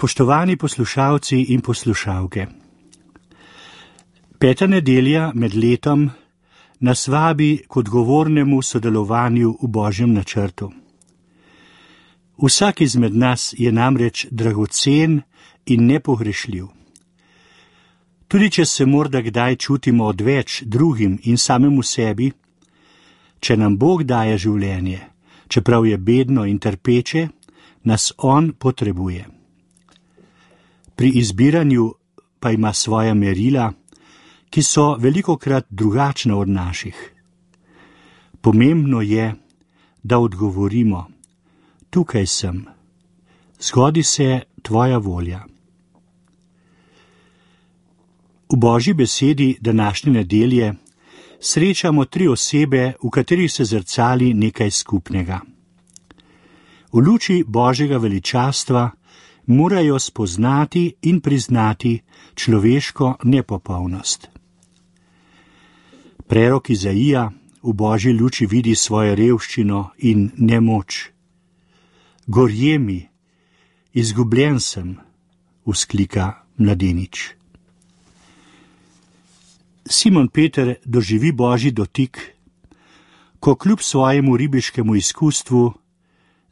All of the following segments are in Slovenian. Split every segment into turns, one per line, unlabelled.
Spoštovani poslušalci in poslušalke, 5. nedelja med letom nas vabi k odgovornemu sodelovanju v Božjem načrtu. Vsak izmed nas je namreč dragocen in nepogrešljiv. Tudi če se morda kdaj čutimo odveč drugim in samemu sebi, če nam Bog daje življenje, čeprav je bedno in trpeče, nas On potrebuje. Pri izbiranju pa ima svoja merila, ki so velikokrat drugačna od naših. Pomembno je, da odgovorimo: tukaj sem, zgodi se tvoja volja. V Božji besedi današnje nedelje srečamo 3 osebe, v katerih se zrcali nekaj skupnega. V luči Božjega veličastva morajo spoznati in priznati človeško nepopolnost. Prerok Izaija v Božji luči vidi svojo revščino in nemoč. Gorje mi, izgubljen sem, vzklika mladenič. Simon Peter doživi Božji dotik, ko kljub svojemu ribiškemu izkustvu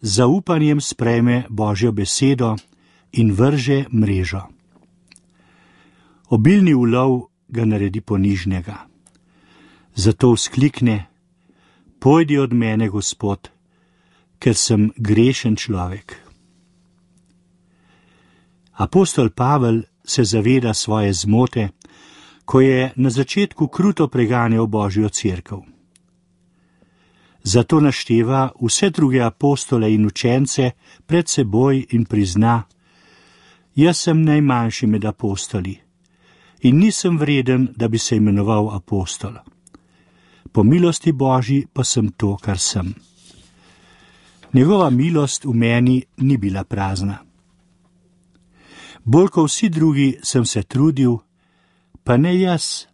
z zaupanjem sprejme Božjo besedo in vrže mrežo. Obilni ulov ga naredi ponižnega. Zato vzklikne: pojdi od mene, Gospod, ker sem grešen človek. Apostol Pavel se zaveda svoje zmote, ko je na začetku kruto preganjal Božjo cerkev. Zato našteva vse druge apostole in učence pred seboj in prizna: jaz sem najmanjši med apostoli in nisem vreden, da bi se imenoval apostol. Po milosti Božji pa sem to, kar sem. Njegova milost v meni ni bila prazna. Bolj kot vsi drugi sem se trudil, pa ne jaz,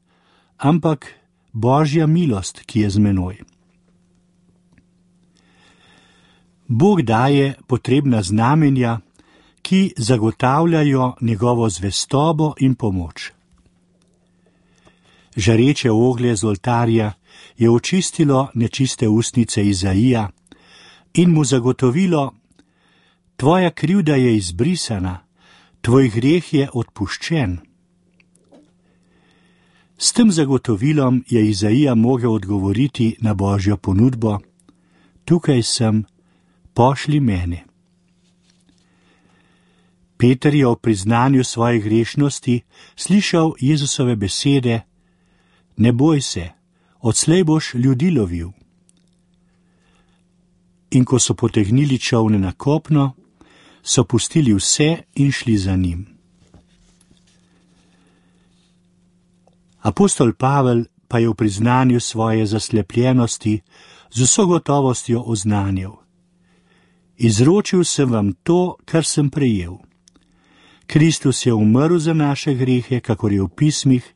ampak Božja milost, ki je z menoj. Bog daje potrebna znamenja, ki zagotavljajo njegovo zvestobo in pomoč. Žareče oglje z oltarja je očistilo nečiste ustnice Izaija in mu zagotovilo: tvoja krivda je izbrisana, tvoj greh je odpuščen. S tem zagotovilom je Izaija mogel odgovoriti na Božjo ponudbo: tukaj sem, pošlji mene. Peter je ob priznanju svoje grešnosti slišal Jezusove besede: ne boj se, odslej boš ljudi lovil. In ko so potegnili čolne na kopno, so pustili vse in šli za njim. Apostol Pavel pa je v priznanju svoje zaslepljenosti z vso gotovostjo oznanil: izročil sem vam to, kar sem prejel. Kristus je umrl za naše grehe, kakor je v pismih,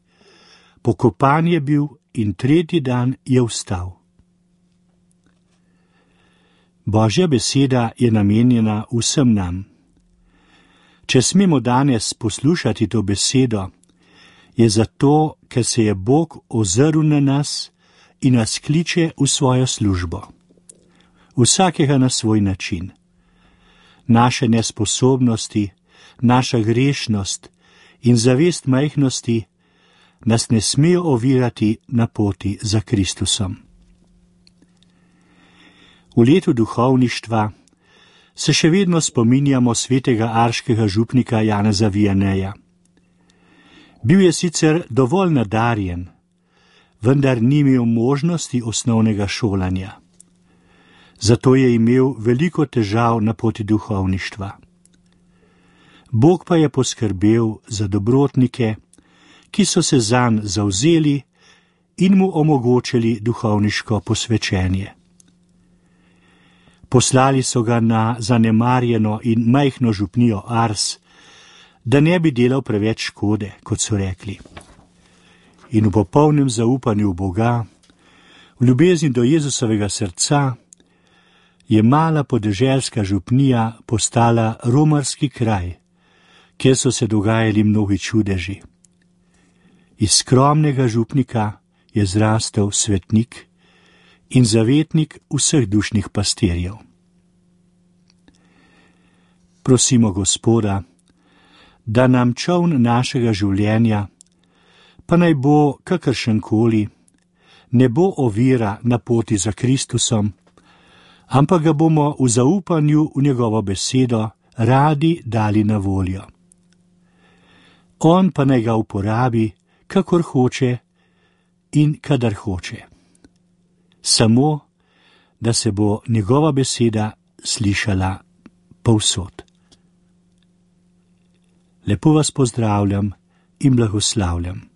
pokopan je bil in 3. dan je vstal. Božja beseda je namenjena vsem nam. Če smemo danes poslušati to besedo, je zato, ker se je Bog ozrl na nas in nas kliče v svojo službo. Vsakega na svoj način. Naše nesposobnosti, naša grešnost in zavest majhnosti nas ne smejo ovirati na poti za Kristusom. V letu duhovništva se še vedno spominjamo svetega arškega župnika Janeza Vianeja. Bil je sicer dovolj nadarjen, vendar ni imel možnosti osnovnega šolanja. Zato je imel veliko težav na poti duhovništva. Bog pa je poskrbel za dobrotnike, ki so se zanj zavzeli in mu omogočili duhovniško posvečenje. Poslali so ga na zanemarjeno in majhno župnijo Ars, da ne bi delal preveč škode, kot so rekli. In v popolnem zaupanju v Boga, v ljubezni do Jezusovega srca, je mala podeželska župnija postala romarski kraj, kjer so se dogajali mnogi čudeži. Iz skromnega župnika je zrastel svetnik in zavetnik vseh dušnih pastirjev. Prosimo Gospoda, da nam čoln našega življenja, pa naj bo kakršenkoli, ne bo ovira na poti za Kristusom, ampak ga bomo v zaupanju v njegovo besedo radi dali na voljo. On pa naj ga uporabi, kakor hoče in kadar hoče. Samo, da se bo njegova beseda slišala povsod. Lepo vas pozdravljam in blagoslavljam.